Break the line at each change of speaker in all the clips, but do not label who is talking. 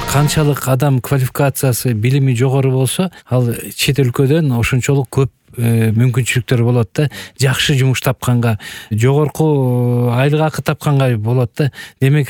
канчалык адам квалификациясы, билими жогору болсо, ал чет өлкөдөн ошончолук көп мүмкүнчүлүктөр болот да. Жакшы жумуш тапканга, жогорку айлык акы тапканга болот да. Демек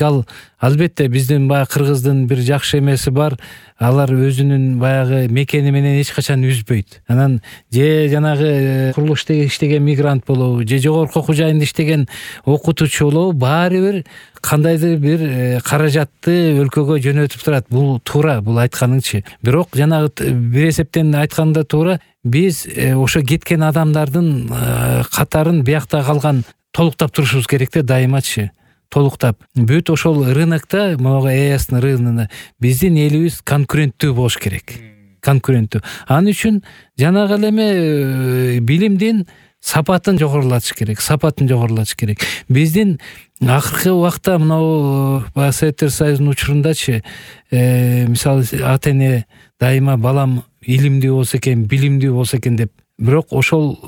албетте биздин баягы Кыргыздын бир жакшы эмеси бар. Алар өзүнүн баягы мекени менен эч качан үзбөйт. Анан же жанагы курулушта иштеген мигрант болобу, же жогорку окуу жайында иштеген окутуучу болобу, баары бир кандайдыр бир каражатты өлкөгө жөнөтүп турат. Бул туура, бул айтканыңчы. Бирок жанагы бир эсептен айтканда туура, биз ошо кеткен адамдардын катарын биякта калган толуктап турушубуз керек да, дайымачы. Толуктап. Бүт ошол рынокто, могу ЭСТин рыногунда биздин элибиз конкуренттүү болуш керек. Конкуренттүү. Анын үчүн жанагы эме билимдин сапатын жогорулатыш керек. Сапатын жогорулатыш керек. Биздин акыркы убакта мынау Советтер Союзунун учурундачы, мисалы ата-эне дайыма балам илимдүү болсо экен, билимдүү болсо экен деп, бирок ошол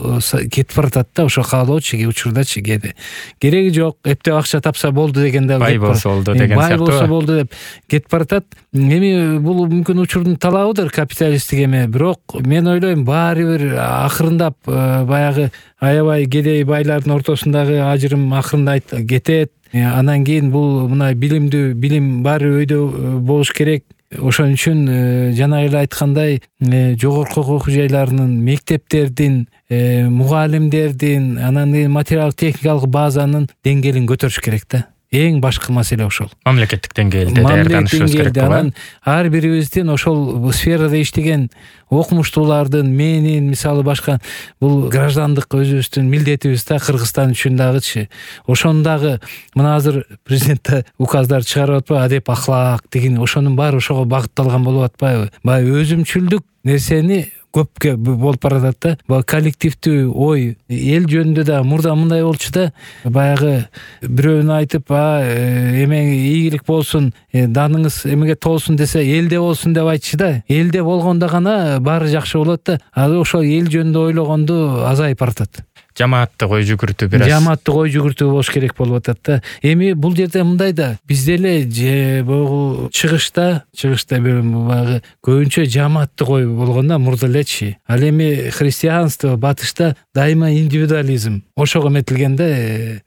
кетип баратат да, ошо каалоочу учурдачы кээде. Кереги жок, эптеп акча тапса болду дегенде,
бай болсо болду деген
бай
сыяктуу.
болсо болду деп кетип баратат. Эми бул мүмкүн учурдун талабыдыр, капиталисттик эме, бирок мен ойлойм баары бир акырындап баягы аябай кедей байлардын ортосундагы ажырым акырында кетет. Анан кийин бул мына билимдүү билим баары өйдө болуш керек. Ошон үчүн жана эле айткандай, жогорку окуу жайларынын, мектептердин, мугалимдердин, анан материалдык техникалык базанын деңгээлин көтөрүш керек да. Эң башкы маселе ошол.
Мамлекеттик деңгээлде даярданышыбыз керек болот.
Анан ар бирибиздин ошол сферада иштеген окумуштуулардын, менин, мисалы башка бул граждандык өзүбүздүн милдетибиз да, Кыргызстан үчүн дагычы. Ошондагы мына азыр президент указдар чыгарып атпайбы, адеп, ахлак деген, ошонун баары ошого багытталган болуп атпайбы? Баягы өзүмчүлдүк нерсени көпкө болуп баратат да. Баягы коллективдүү ой, эл жөнүндө да мурда мындай болчу да, баягы бирөөнү айтып, эме ийгилик болсун, даныңыз эмеге толсун десе, элде болсун деп айтчы да. Элде болгондо гана баары жакшы болот да. Азыр ошол эл жөнүндө ойлогонду азайып баратат.
Жамааттык ой жүгүртүү бир аз.
Жамааттык ой жүгүртүү болуш керек болуп атат да. Эми бул жерде мындай да, бизде эле же бул чыгышта баягы көбүнчө жамааттык ой болгон да, мурда элечи. Ал эми христианство, батышта дайыма индивидуализм ошого метилген да,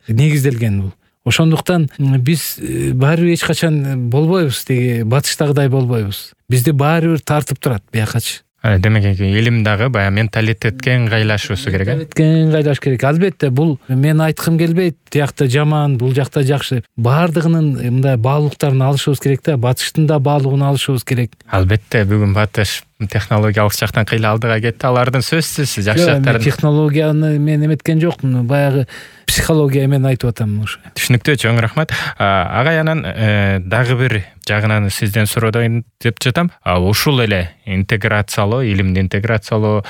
негизделген бул. Ошондуктан биз баары эч качан болбойбуз, деги батыштагыдай болбойбуз. Бизди баары бир тартып турат биякачы.
Демек илим дагы баягы менталитетке ыңгайлашуусу керек.
Менталитетке ыңгайлаш керек. Албетте бул мен айткым келбейт, тиякта жаман, бул жакта жакшы. Баардыгынын мындай баалуулуктарын алышыбыз керек да, батыштын да баалуулугун алышыбыз керек.
Албетте бүгүн батыш технологиялык жактан кыйла алдыга кетти. Алардын сөзсүз жакшы жактарын.
Технологияны мен эметкен жокмун, баягы психология мен айтып атам ушу.
Түшүнүктүү, чоң рахмат. Агай, анан дагы бир жагынан сизден суройдон деп жатам. Ушул эле интеграциялоо, илимди интеграциялоо,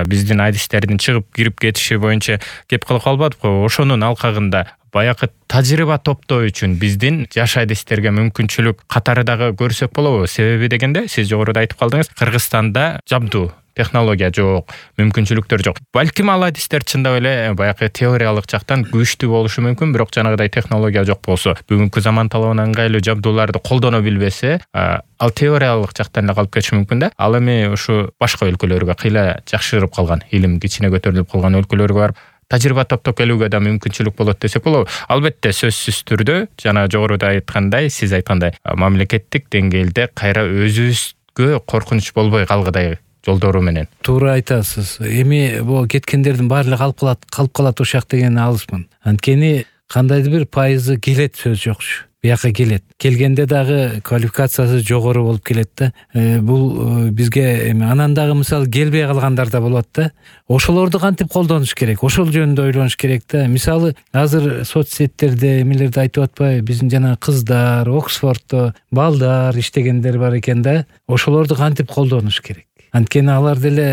биздин адистердин чыгып кирип кетиши боюнча кеп калып калбадыкпы? Ошонун алкагында баягы тажрыйба топтоо үчүн биздин жаш адистерге мүмкүнчүлүк катары дагы көрсөк болобу? Себеби дегенде, сиз жогоруда айтып калдыңыз, Кыргызстанда жабдуу технология жок, мүмкүнчүлүктөр жок. Балким ал адистер чындап эле баягы теориялык жактан күчтүү болушу мүмкүн, бирок жанагыдай технология жок болсо, бүгүнкү заман талабына ыңгайлуу жабдууларды колдоно билбесе, ал теориялык жактан эле калып кетиши мүмкүн да. Ал эми ушу башка өлкөлөргө, кыйла жакшырып калган, илим кичине көтөрүлүп калган өлкөлөргө барып тажрыйба топтоп келүүгө да мүмкүнчүлүк болот десек болобу. Албетте сөзсүз түрдө жана жогоруда айткандай, сиз айткандай, мамлекеттик деңгээлде кайра өзүбүзгө коркунуч болбой калгыдай жолдору менен. Туура
айтасыз. Эми бул кеткендердин баары калып калат ушак деген алысмын. Анткени кандайдыр бир пайызы келет, сөз жокчу. Бияка келет. Келгенде дагы квалификациясы жогору болуп келет да. Бул бизге эми анан дагы мисалы келбей калгандар да болот да. Ошолорду кантип колдонуш керек? Ошол жөнүндө ойлонуш керек да. Мисалы азыр соцсеттерде эмелерди айтып атпайбы? Биздин жана кыздар, Оксфордто балдар иштегендер бар экен да. Ошолорду кантип колдонуш керек? Анткени алар деле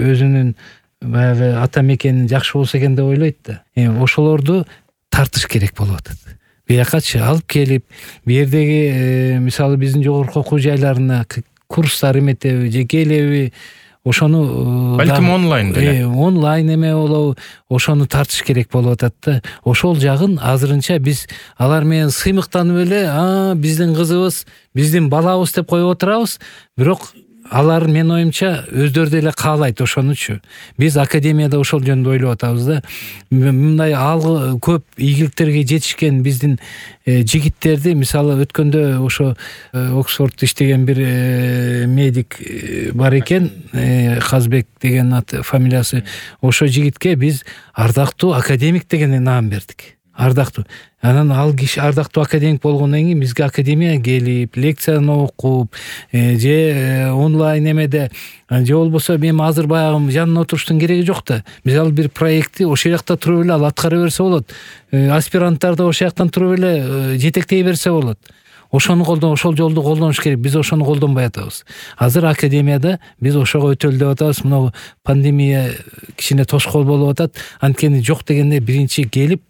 өзүнүн баягы ата мекени жакшы болсо экен деп ойлойт да. Ошолорду тартыш керек болуп атат. Биякачы алып келип, бу жердеги мисалы биздин жогорку окуу жайларына курстар эметеби же келеби, ошону
балким онлайн деле
онлайн эме болобу, ошону тартыш керек болуп атат да. Ошол жагын азырынча биз алар менен сыймыктанып эле биздин кызыбыз, биздин балабыз деп коюп отурабыз. Бирок алар менин оюмча өздөрү деле каалайт ошонучу. Биз академияда ошол жөнүндө ойлоп атабыз да. Мындай көп ийгиликтерге жетишкен биздин жигиттерди, мисалы өткөндө ошо Оксфордто иштеген бир медик бар экен, Казбек деген фамилиясы. Ошо жигитке биз ардактуу академик деген наам бердик. Ардактуу. Анан ал киши ардактуу академик болгондон кийин бизге академияга келип, лекцияны окуп, же онлайн эмеде, же болбосо мен азыр баягы жанына отуруштун кереги жок да. Мисалы бир проектти ошол жакта туруп эле ал аткара берсе болот. Аспиранттар да ошол жактан туруп эле жетектей берсе болот. Ошону ошол жолду колдонуш керек. Биз ошону колдонбой атабыз. Азыр академияда биз ошого өтөлү деп атабыз. Мына пандемия кичине тоскоол болуп атат. Анткени жок дегенде биринчи келип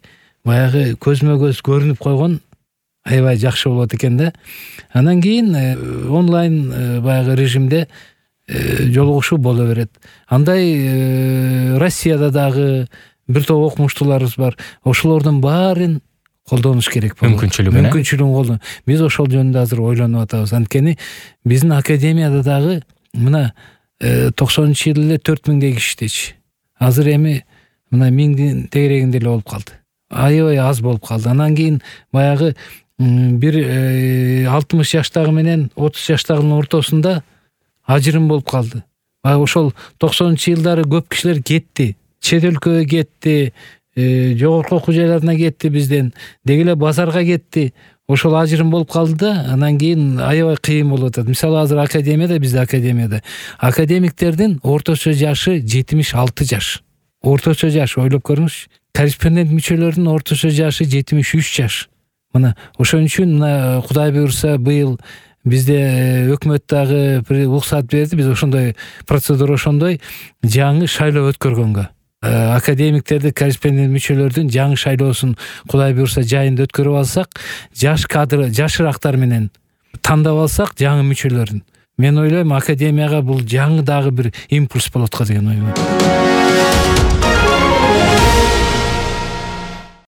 баягы көзмө көз көрүнүп койгон аябай жакшы болот экен да. Анан кийин онлайн баягы режимде жолугушуу боло берет. Андай Россияда дагы бир топ окумуштууларыбыз бар. Ошолордун баарын колдонуш керек болот. Мүмкүнчүлүгүн колдон. Биз ошол жөнүндө азыр ойлонуп атабыз. Анткени биздин академияда дагы мына 90-жылы эле 4000 киши иштечи. Азыр эми мына 1000 тегерегинде эле болуп калды. Аябай аз болуп калды. Анан кийин баягы бир 60 жаштагы менен 30 жаштагынын ортосунда ажырым болуп калды. Баягы ошол 90-жылдары көп кишилер кетти. Чет өлкөгө кетти, жогорку окуу жайларына кетти бизден, деги эле базарга кетти. Ошол ажырым болуп калды да, анан кийин аябай кыйын болуп атат. Мисалы азыр академияда, бизде академияда академиктердин орточо жашы 76 жаш. Орточо жаш, ойлоп көрүңүзчү. Корреспондент мүчөлөрдүн орточо жашы 73 жаш. Мына ошон үчүн мына Кудай буйрса быйыл бизде өкмөт дагы уруксат берди. Биз ошондой процедура, ошондой жаңы шайлоо өткөргөнгө. Академиктерди, корреспондент мүчөлөрдүн жаңы шайлоосун Кудай буйрса жайында өткөрүп алсак, жаш кадр, жашырактар менен тандап алсак жаңы мүчөлөрүн. Мен ойлойм академияга бул жаңы дагы бир импульс болот го деген ой бар.